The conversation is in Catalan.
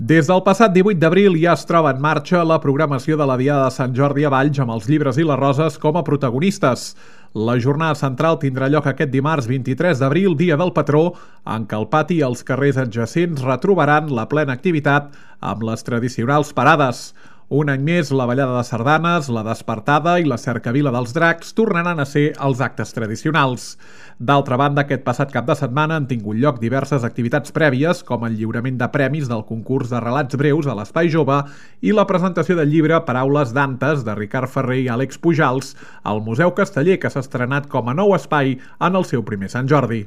Des del passat 18 d'abril ja es troba en marxa la programació de la Diada de Sant Jordi a Valls amb els llibres i les roses com a protagonistes. La jornada central tindrà lloc aquest dimarts 23 d'abril, dia del patró, en què el pati i els carrers adjacents retrobaran la plena activitat amb les tradicionals parades. Un any més, la ballada de sardanes, la despertada i la cercavila dels dracs tornaran a ser els actes tradicionals. D'altra banda, aquest passat cap de setmana han tingut lloc diverses activitats prèvies, com el lliurament de premis del concurs de relats breus a l'Espai Jove i la presentació del llibre Paraules Dantes de Ricard Ferrer i Àlex Pujals al Museu Casteller, que s'ha estrenat com a nou espai en el seu primer Sant Jordi.